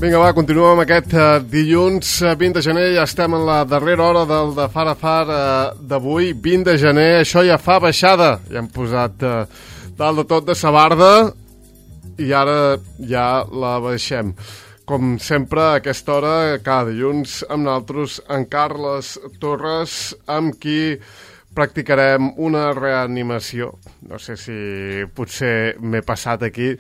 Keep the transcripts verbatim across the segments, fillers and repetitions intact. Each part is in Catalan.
Vinga, va, continuem amb aquest uh, dilluns uh, vint de gener. Ja estem en la darrera hora del de Far a Far uh, d'avui, vint de gener. Això ja fa baixada. Ja hem posat uh, dalt de tot de Sabarda i ara ja la baixem. Com sempre, a aquesta hora, cada dilluns, amb nosaltres, en Carles Torres, amb qui practicarem una reanimació. No sé si potser m'he passat aquí.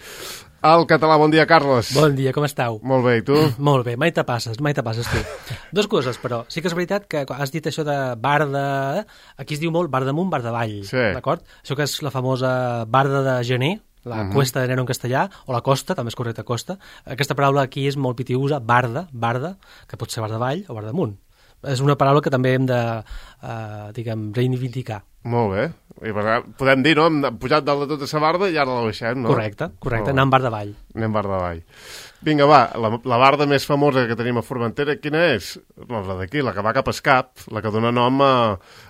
Al català, bon dia, Carles. Bon dia, com estàu? Molt bé, i tu? Molt bé, mai te passes, mai te passes tu. Dos coses, però. Sí que és veritat que has dit això de barda... Aquí es diu molt bar damunt, bar davall, sí. D'acord? Això que és la famosa barda de gener, la uh-huh. cuesta de enero en castellà, o la costa, també és correcte, costa. Aquesta paraula aquí és molt pitiusa, barda, barda, que pot ser bar davall o bar damunt. És una paraula que també hem de, uh, diguem, reivindicar. Molt bé. I per, podem dir, no? Hem pujat dalt de tota sa barda i ara la baixem, no? Correcte, correcte. Oh. Anem bar davall. Anem bar davall. Vinga, va, la, la barda més famosa que tenim a Formentera, quina és? La d'aquí, la que va cap a Escap, la que dona nom a,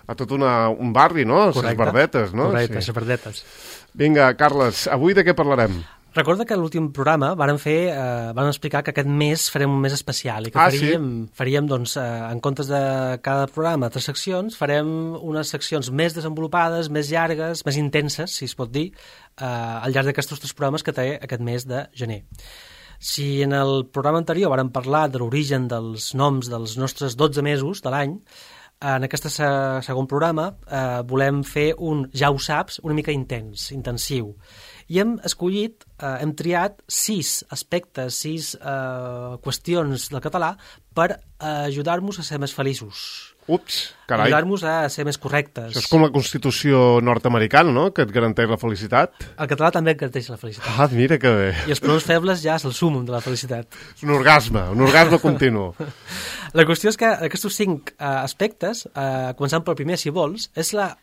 a tot una, un barri, no? Les Verdetes, no? Correcte, les sí. Verdetes. Vinga, Carles, avui de què parlarem? Recorda que a l'últim programa vàrem fer, eh, vam explicar que aquest mes farem un mes especial i que ah, faríem, sí? faríem doncs, eh, en comptes de cada programa tres seccions, farem unes seccions més desenvolupades, més llargues, més intenses, si es pot dir, eh, al llarg d'aquests tres programes que té aquest mes de gener. Si en el programa anterior vàrem parlar de l'origen dels noms dels nostres dotze mesos de l'any, en aquest segon programa eh, volem fer un ja ho saps una mica intens, intensiu. I hem escollit, eh, hem triat sis aspectes, sis eh, qüestions del català per eh, ajudar-nos a ser més feliços. Ups, carai. Ajudar-nos a ser més correctes. Això és com la Constitució nord-americana, no?, que et garanteix la felicitat. El català també et garanteix la felicitat. Ah, mira que bé. I els pronoms febles ja és el súmum de la felicitat. És un orgasme, un orgasme continu. La qüestió és que aquests cinc eh, aspectes, eh, començant pel primer, si vols, és la,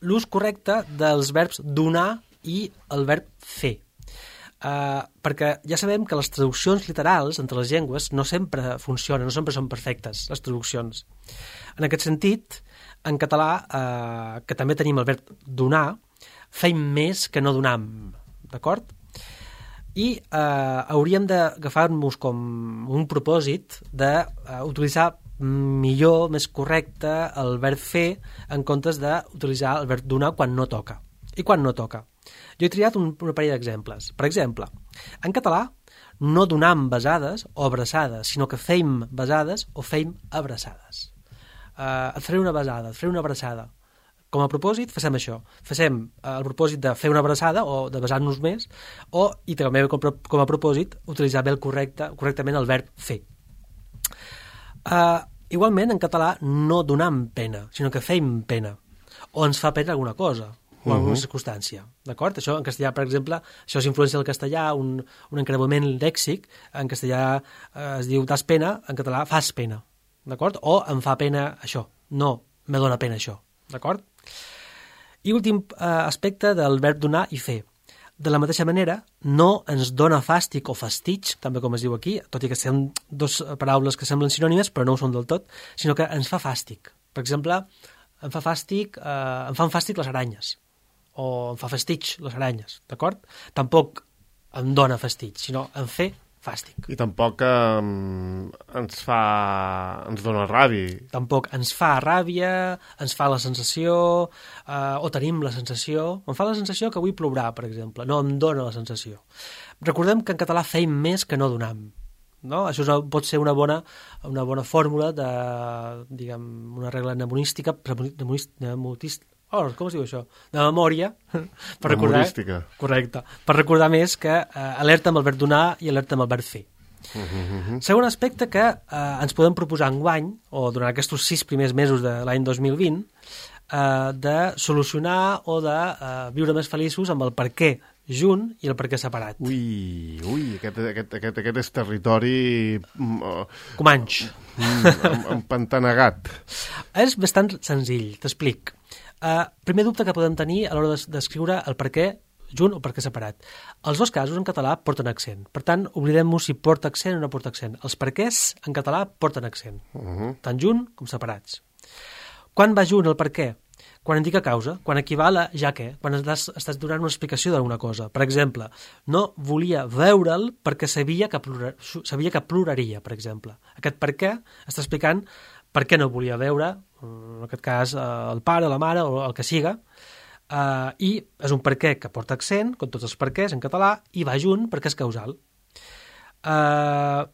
l'ús correcte dels verbs donar i el verb fer. Uh, perquè ja sabem que les traduccions literals entre les llengües no sempre funcionen, no sempre són perfectes, les traduccions. En aquest sentit, en català, uh, que també tenim el verb donar, feim més que no donam, d'acord? I uh, hauríem d'agafar-nos com un propòsit d'utilitzar uh, millor, més correcte, el verb fer en comptes d'utilitzar el verb donar quan no toca. I quan no toca? Jo he triat un, una parella d'exemples. Per exemple, en català no donam besades o abraçades, sinó que feim besades o feim abraçades. Uh, et faré una besada, et faré una abraçada. Com a propòsit, facem això. Facem uh, el propòsit de fer una abraçada o de besar-nos més, o, i també com, com a propòsit, utilitzar bé el correcte, correctament el verb fer. Uh, igualment, en català no donam pena, sinó que feim pena, o ens fa pena alguna cosa, o alguna uh-huh. circumstància, d'acord? Això en castellà, per exemple, això és influència del castellà, un, un encreuament lèxic, en castellà eh, es diu das pena, en català fas pena, d'acord? O em fa pena això, no, me dóna pena això, d'acord? I últim eh, aspecte del verb donar i fer. De la mateixa manera, no ens dona fàstic o fastig, també com es diu aquí, tot i que són dues paraules que semblen sinònimes, però no ho són del tot, sinó que ens fa fàstic. Per exemple, em fa fàstic, eh, em fan fàstic les aranyes, o em fa fastig les aranyes, d'acord? Tampoc em dona fastig, sinó em fer fàstic. I tampoc eh, ens fa... ens dona ràbia. Tampoc ens fa ràbia, ens fa la sensació, eh, o tenim la sensació. Em fa la sensació que vull plorar, per exemple. No em dona la sensació. Recordem que en català feim més que no donam. No? Això pot ser una bona, una bona fórmula de, diguem, una regla mnemonística, mnemonista, oh, com es diu això? De memòria, per recordar, correcte, per recordar més que eh, alerta amb el verb donar i alerta amb el verb fer. Uh-huh. Segon aspecte que eh, ens podem proposar enguany, o durant aquests sis primers mesos de l'any dos mil vint, eh, de solucionar o de eh, viure més feliços amb el per què junt i el per què separat. Ui, ui, aquest, aquest, aquest, aquest és territori... Comanx. Empantanegat. És bastant senzill, t'explic. Uh, primer dubte que podem tenir a l'hora d'escriure el per què junt o per què separat. Els dos casos en català porten accent. Per tant, oblidem-nos si porta accent o no porta accent. Els perquès en català porten accent, uh-huh. tant junt com separats. Quan va junt el per què? quan indica causa, quan equival a ja què, quan estàs, estàs donant una explicació d'alguna cosa. Per exemple, no volia veure'l perquè sabia que, plorar, sabia que ploraria, per exemple. Aquest per què està explicant per què no volia veure, en aquest cas, el pare, la mare o el que siga, uh, i és un per què que porta accent, com tots els perquès en català, i va junt perquè és causal. Uh,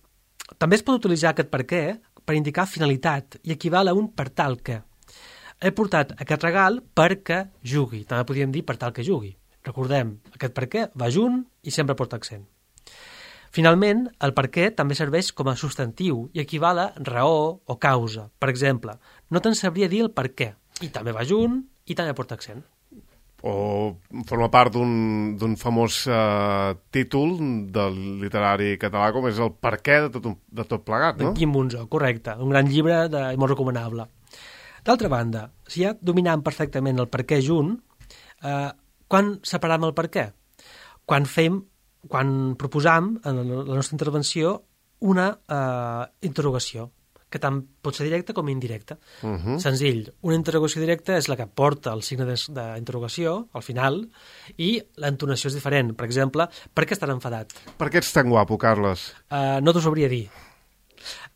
també es pot utilitzar aquest per què per indicar finalitat i equival a un per tal que. He portat aquest regal perquè jugui. També podríem dir per tal que jugui. Recordem, aquest per què va junt i sempre porta accent. Finalment, el per què també serveix com a substantiu i equival a raó o causa. Per exemple, no te'n sabria dir el per què. I també va junt i també porta accent. O forma part d'un famós eh, títol del literari català com és el per què de tot, un, de tot plegat, no? De Quim Monzó, correcte. Un gran llibre de, molt recomanable. D'altra banda, si ja dominem perfectament el per què junt, eh, quan separam el per què? Quan fem, quan proposam en la nostra intervenció una eh, interrogació, que tant pot ser directa com indirecta. Uh -huh. Senzill, una interrogació directa és la que porta el signe d'interrogació al final i l'entonació és diferent. Per exemple, per què estàs enfadat? Per què ets tan guapo, Carles? Uh, no t'ho sabria dir.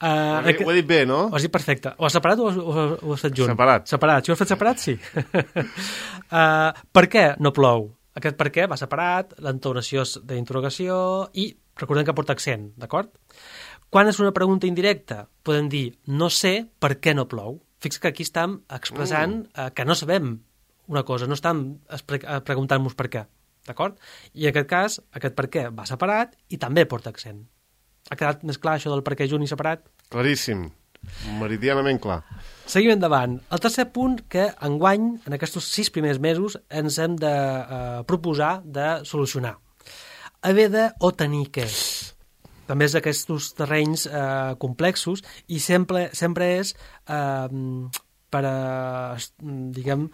Uh, ho, he, ho he dit bé, no? Ho has dit perfecte. Ho has separat o, o, o has fet junt? Separat. Separat. Si ho has fet separat, sí. uh, per què no plou? Aquest per què va separat, l'entonació d'interrogació i recordem que porta accent, d'acord? Quan és una pregunta indirecta, podem dir no sé per què no plou. Fixa que aquí estem expressant mm. uh, que no sabem una cosa, no estem preguntant-nos per què, d'acord? I en aquest cas, aquest per què va separat i també porta accent. Ha quedat més clar això del per què junt i separat? Claríssim, meridianament clar. Seguim endavant. El tercer punt que enguany, en aquests sis primers mesos, ens hem de uh, proposar de solucionar. Haver de o tenir que. També és d'aquests terrenys eh, complexos i sempre, sempre és eh, per a, diguem,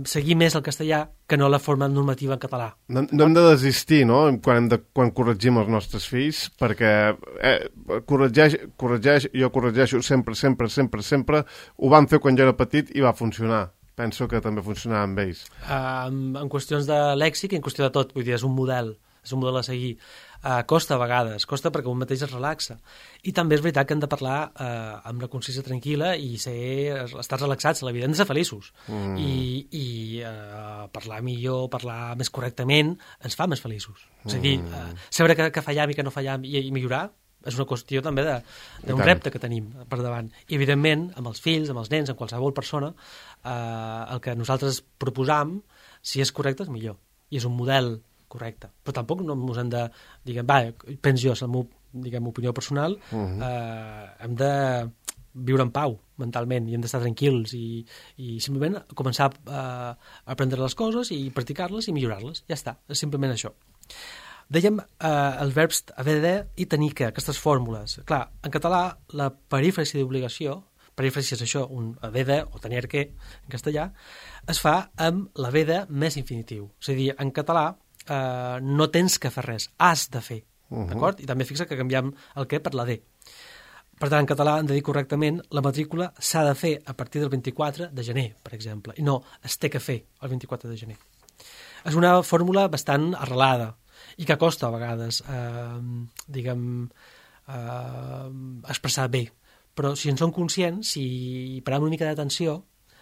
seguir més el castellà que no la forma normativa en català. No, no hem de desistir, no?, quan, hem de, quan corregim els nostres fills, perquè eh, corregeix, corregeix, jo corregeixo sempre, sempre, sempre, sempre, ho vam fer quan jo era petit i va funcionar. Penso que també funcionava amb ells. Uh, en qüestions de lèxic, en qüestió de tot, vull dir, és un model, és un model a seguir. Uh, costa a vegades, costa perquè un mateix es relaxa. I també és veritat que hem de parlar uh, amb la consciència tranquil·la i ser, estar relaxats a la vida, hem de ser feliços. Mm. I, i uh, parlar millor, parlar més correctament, ens fa més feliços. Mm. És a dir, uh, saber que, que fallam i que no fallam i, i millorar és una qüestió també d'un repte que tenim per davant. I, evidentment, amb els fills, amb els nens, amb qualsevol persona, eh, el que nosaltres proposam, si és correcte, és millor. I és un model correcte. Però tampoc no ens hem de... Diguem, va, penso jo, és la meva, diguem, opinió personal, uh-huh. eh, hem de viure en pau mentalment i hem d'estar tranquils i, i simplement començar a, a aprendre les coses i practicar-les i millorar-les. Ja està, és simplement això. Dèiem eh, els verbs haver de i tenir que, aquestes fórmules. Clar, en català la perífrasi d'obligació, perífrasi és això, un haver de o tenir que, en castellà, es fa amb l'haver de més infinitiu. És a dir, en català eh, no tens que fer res, has de fer, uh-huh. d'acord? I també fixa que canviem el que per la de. Per tant, en català hem de dir correctament la matrícula s'ha de fer a partir del vint-i-quatre de gener, per exemple, i no es té que fer el vint-i-quatre de gener. És una fórmula bastant arrelada, i que costa a vegades, eh, diguem, eh, expressar bé. Però si en som conscients, si parem una mica d'atenció,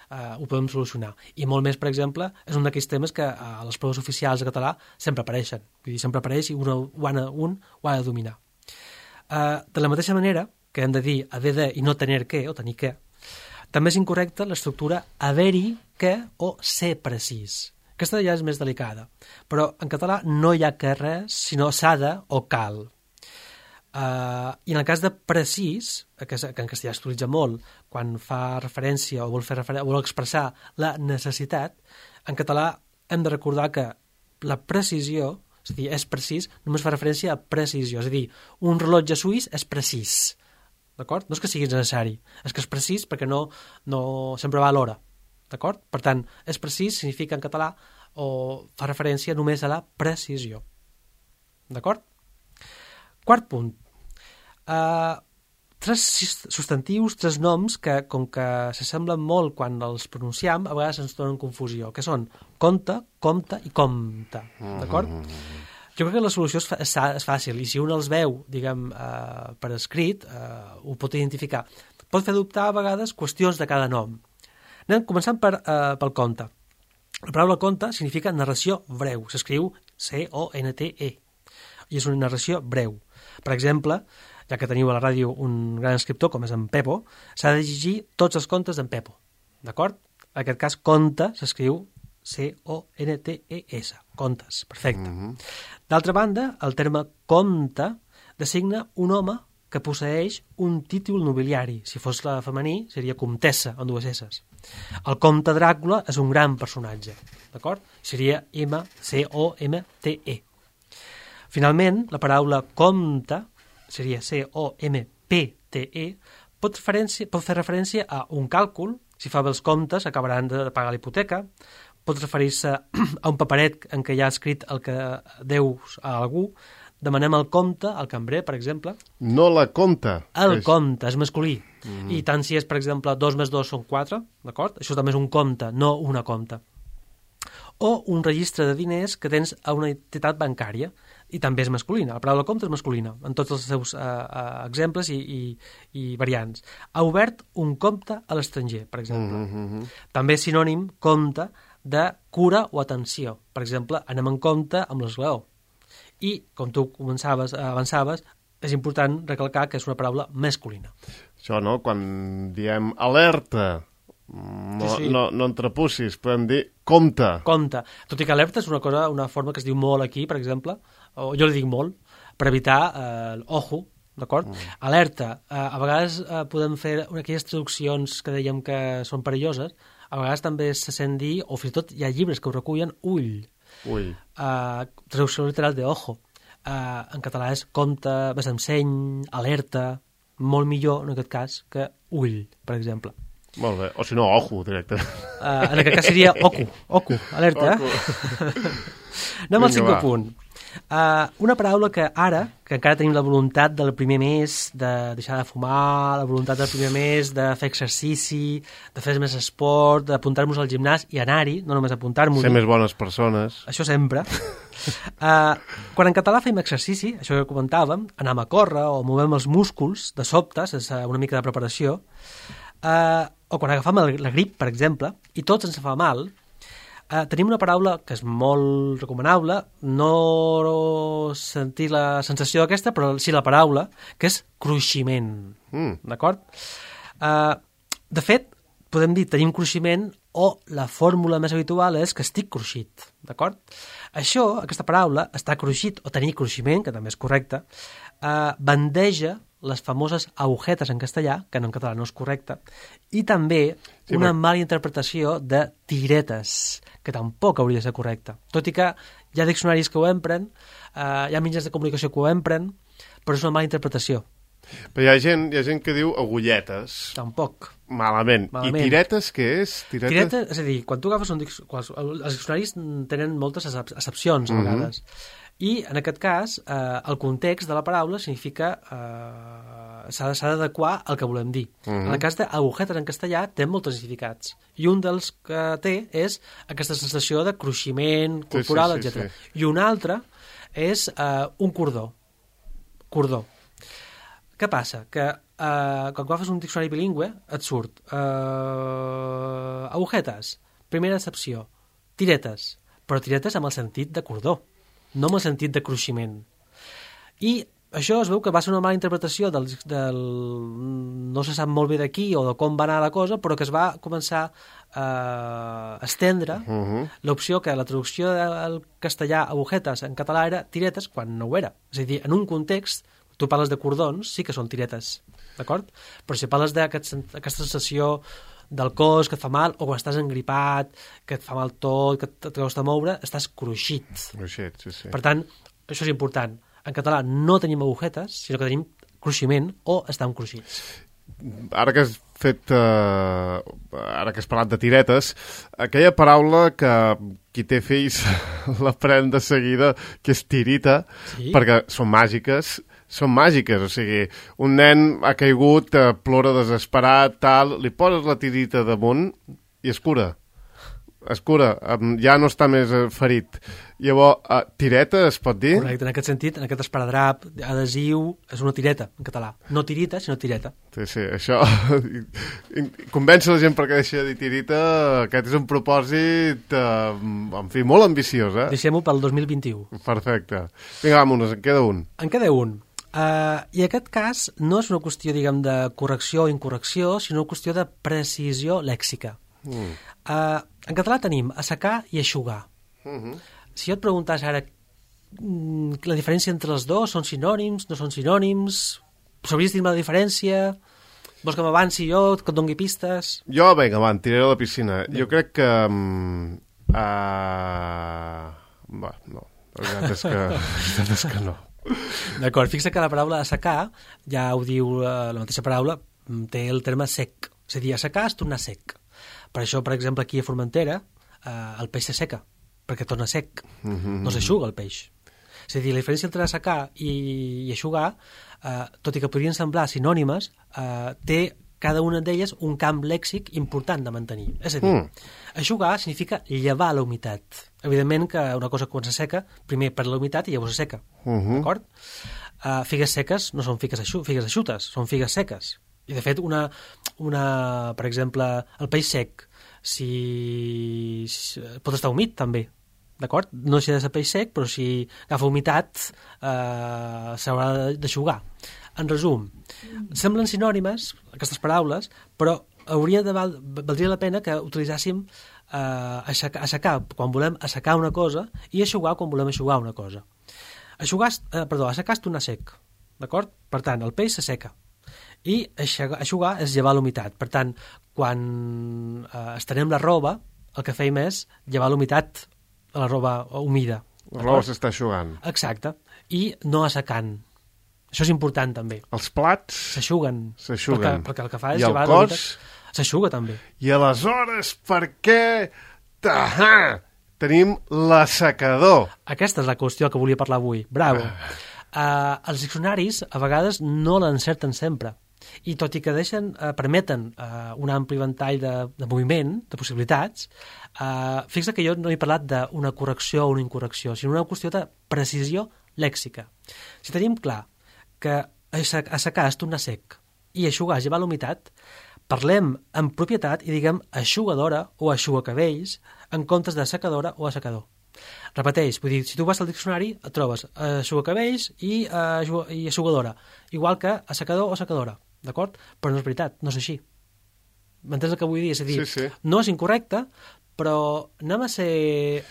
eh, ho podem solucionar. I molt més, per exemple, és un d'aquells temes que a les proves oficials de català sempre apareixen. Vull dir, sempre apareix i un ho ha, un ho ha de dominar. Eh, de la mateixa manera que hem de dir haver de i no tenir que, o tenir que, també és incorrecta l'estructura haver-hi que o ser precís. Aquesta ja és més delicada, però en català no hi ha que res, sinó s'ha de o cal. Uh, I en el cas de precís, que, que en castellà s'utilitza molt, quan fa referència o vol, fer refer o vol expressar la necessitat, en català hem de recordar que la precisió, és a dir, és precís, només fa referència a precisió, és a dir, un rellotge suís és precís, d'acord? No és que sigui necessari, és que és precís perquè no, no sempre va a l'hora. D'acord? Per tant, és precís significa en català o fa referència només a la precisió. D'acord? Quart punt. Uh, tres substantius, tres noms que, com que s'assemblen molt quan els pronunciam, a vegades ens donen confusió, que són conte, compte i compte, d'acord? Mm-hmm. Jo crec que la solució és, és, és fàcil, i si un els veu, diguem, eh, per escrit, eh, ho pot identificar. Pot fer dubtar a vegades qüestions de cada nom. Anem començant per, eh, pel conte. La paraula conte significa narració breu, s'escriu C O N T E, i és una narració breu. Per exemple, ja que teniu a la ràdio un gran escriptor com és en Pepo, s'ha de llegir tots els contes d'en Pepo, d'acord? En aquest cas, conte s'escriu C O N T E S, contes, perfecte. Mm-hmm. D'altra banda, el terme comte designa un home que posseeix un títol nobiliari. Si fos la femení, seria comtessa, amb dues esses. El comte Dràcula és un gran personatge, d'acord? Seria M C O M T E. Finalment, la paraula compte, seria C O M P T E, pot, pot fer referència a un càlcul. Si fa bé els comptes, acabaran de pagar la hipoteca. Pot referir-se a un paperet en què hi ha escrit el que deus a algú. Demanem el compte al cambrer, per exemple. No la compte. El és... compte, és masculí. Mm-hmm. I tant si és, per exemple, dos més dos són quatre, d'acord? Això també és un compte, no una compte. O un registre de diners que tens a una entitat bancària, i també és masculina. La paraula compte és masculina, en tots els seus uh, uh, exemples i, i, i variants. Ha obert un compte a l'estranger, per exemple. Mm-hmm. També és sinònim compte de cura o atenció. Per exemple, anem en compte amb l'esglaó. I, com tu començaves, avançaves, és important recalcar que és una paraula masculina. Això, no? Quan diem alerta, no, sí, sí. no, no entrepussis, podem dir compte. Compte. Tot i que alerta és una cosa, una forma que es diu molt aquí, per exemple, o jo li dic molt, per evitar eh, l'ojo, d'acord? Mm. Alerta. Eh, a vegades eh, podem fer aquelles traduccions que dèiem que són perilloses, a vegades també se sent dir, o fins i tot hi ha llibres que ho recullen, ull. Ull. Uh, traducció literal de ojo. Uh, en català és compte, ves amb seny, alerta, molt millor en aquest cas que ull, per exemple. Molt bé, o si no, ojo, directe. Uh, en aquest cas seria ocu, ocu, alerta. Ocu. Anem al cinquè punt. Uh, una paraula que ara, que encara tenim la voluntat del primer mes de deixar de fumar, la voluntat del primer mes de fer exercici, de fer més esport, d'apuntar-nos al gimnàs i anar-hi, no només apuntar-nos. Ser més bones persones. Això sempre. uh, quan en català fem exercici, això que comentàvem, anem a córrer o movem els músculs de sobte, sense una mica de preparació, uh, o quan agafam el, la grip, per exemple, i tots ens fa mal, Uh, tenim una paraula que és molt recomanable, no sentir la sensació aquesta, però sí la paraula, que és cruiximent, mm. d'acord? Uh, de fet, podem dir tenim cruiximent o la fórmula més habitual és que estic cruixit, d'acord? Això, aquesta paraula, estar cruixit o tenir cruiximent, que també és correcte, uh, bandeja les famoses agujetes en castellà, que en català no és correcte, i també sí, una però... mala interpretació de tiretes, que tampoc hauria de ser correcte. Tot i que hi ha diccionaris que ho empren, eh, hi ha mitjans de comunicació que ho empren, però és una mala interpretació. Però hi ha gent, hi ha gent que diu agulletes. Tampoc. Malament. Malament. I tiretes, què és? Tiretes? Tiretes, és a dir, quan tu agafes un diccionari... Els diccionaris tenen moltes accepcions, a vegades. Mm-hmm. I, en aquest cas, eh, el context de la paraula significa... Eh, s'ha d'adequar al que volem dir. Mm-hmm. En el cas d'agujetes en castellà té molts significats. I un dels que té és aquesta sensació de cruiximent corporal, sí, sí, sí, etcètera. Sí. I un altre és eh, un cordó. Cordó. Què passa? Que eh, quan agafes un diccionari bilingüe et surt eh, agujetes, primera excepció, tiretes, però tiretes amb el sentit de cordó, no amb el sentit de cruiximent. I això es veu que va ser una mala interpretació del, del no se sap molt bé d'aquí o de com va anar la cosa, però que es va començar eh, a estendre uh-huh. l'opció que la traducció del castellà agujetes en català era tiretes quan no ho era. És a dir, en un context tu parles de cordons, sí que són tiretes, d'acord? Però si parles d'aquesta sensació del cos que et fa mal, o quan estàs engripat, que et fa mal tot, que et costa moure, estàs cruixit. Cruixit, sí, sí. Per tant, això és important. En català no tenim agujetes, sinó que tenim cruiximent o estem cruixits. Ara que has fet, eh, ara que has parlat de tiretes, aquella paraula que qui té fills l'aprèn de seguida, que és tirita, sí? Perquè són màgiques, són màgiques, o sigui, un nen ha caigut, eh, plora desesperat, tal, li poses la tirita damunt i es cura. Es cura, ja no està més ferit. Llavors, uh, tireta es pot dir? Correcte, en aquest sentit, en aquest esparadrap adhesiu, és una tireta, en català. No tirita, sinó tireta. Sí, sí, això... Convèncer la gent perquè deixi de dir tirita, aquest és un propòsit, uh, en fi, molt ambiciós, eh? Deixem-ho pel dos mil vint-i-u. Perfecte. Vinga, vámonos, en queda un. En queda un. Uh, I en aquest cas no és una qüestió, diguem, de correcció o incorrecció, sinó una qüestió de precisió lèxica. Mm. Uh, en català tenim assecar i eixugar. Mm-hmm. Si jo et preguntés ara mm, la diferència entre els dos, són sinònims, no són sinònims, sabries dir-me la diferència? Vols que m'avanci jo, que et doni pistes? Jo, vinga, va, tiraré a la piscina. Bé. Jo crec que... Um, uh, va, no, la veritat és que, la veritat és que no. D'acord, fixa que la paraula assecar, ja ho diu uh, la mateixa paraula, té el terme sec. És a dir, assecar és tornar sec. Per això, per exemple, aquí a Formentera, eh, el peix s'asseca, perquè torna sec. Mm-hmm. No s'aixuga el peix. És a dir, la diferència entre assecar i, i eixugar, eh, tot i que podrien semblar sinònimes, eh, té cada una d'elles un camp lèxic important de mantenir. És a dir, mm. eixugar significa llevar la humitat. Evidentment que una cosa quan s'asseca, primer perd la humitat i llavors s'asseca. Mm-hmm. D'acord? Eh, figues seques no són figues, eixu figues eixutes, són figues seques. I, de fet, una, una, per exemple, el peix sec, si, si pot estar humit, també, d'acord? No si ha de ser peix sec, però si agafa humitat, eh, s'haurà d'eixugar. En resum, semblen sinònimes, aquestes paraules, però hauria de val, valdria la pena que utilitzàssim eh, assecar, assecar quan volem assecar una cosa i eixugar quan volem eixugar una cosa. Eixugar, eh, perdó, assecar és tornar sec, d'acord? Per tant, el peix s'asseca. I eixugar és llevar l'humitat. Per tant, quan eh, estenem la roba, el que feim és llevar l'humitat a la roba humida. La roba s'està eixugant. Exacte. I no assecant. Això és important, també. Els plats... S'eixuguen. S'eixuguen. Perquè, perquè el que fa és I llevar l'humitat. S'eixuga, també. I aleshores, per què... Tahà! Tenim l'assecador. Aquesta és la qüestió que volia parlar avui. Bravo. Uh, els diccionaris a vegades no l'encerten sempre i tot i que deixen, uh, permeten uh, un ampli ventall de, de moviment, de possibilitats, uh, fixa que jo no he parlat d'una correcció o una incorrecció, sinó una qüestió de precisió lèxica. Si tenim clar que assecar és tornar sec i eixugar és llevar l'humitat, parlem en propietat i diguem eixugadora o eixugacabells en comptes de secadora o assecador. Repeteix, vull dir, si tu vas al diccionari et trobes eixugacabells i, uh, i eixugadora, igual que assecador o assecadora, d'acord? Però no és veritat, no és així. M'entens el que vull dir? És a dir, sí, sí. No és incorrecte, però anem a ser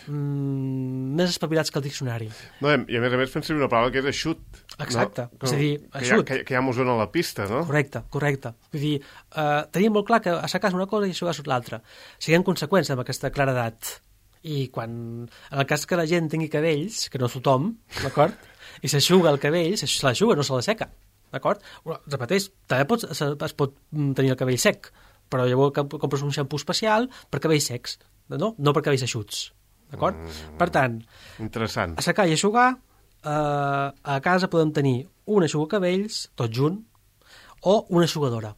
mm, més espavilats que el diccionari. No, I a més a més fem servir una paraula que és eixut. Exacte, no? És a dir, que eixut. Ja, que, que ja mos dona la pista, no? Correcte, correcte. Vull dir, uh, tenim molt clar que assecar és una cosa i eixugar és l'altra. Siguem conseqüents amb aquesta claredat. I quan, en el cas que la gent tingui cabells, que no és tothom, d'acord? I s'aixuga el cabell, se l'aixuga, no se l'asseca, d'acord? Repeteix, també pots, es pot tenir el cabell sec, però llavors compres un xampú especial per cabells secs, no, no per cabells eixuts, d'acord? Mm, per tant, interessant. Assecar i eixugar, eh, a casa podem tenir un eixugacabells, tot junt, o una eixugadora,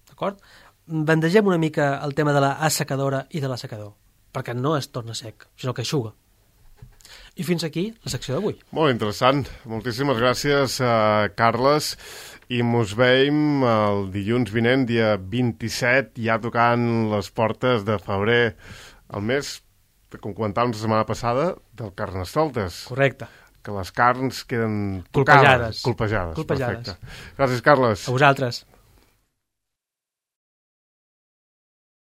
d'acord? Bandegem una mica el tema de l'assecadora i de l'assecador, perquè no es torna sec, sinó que eixuga. I fins aquí la secció d'avui. Molt interessant. Moltíssimes gràcies, uh, Carles. I mos veiem el dilluns vinent, dia vint-i-set, ja tocant les portes de febrer, el mes, com comentàvem la setmana passada, del Carnestoltes. Correcte. Que les carns queden colpejades. Colpejades. Colpejades. Perfecte. Gràcies, Carles. A vosaltres.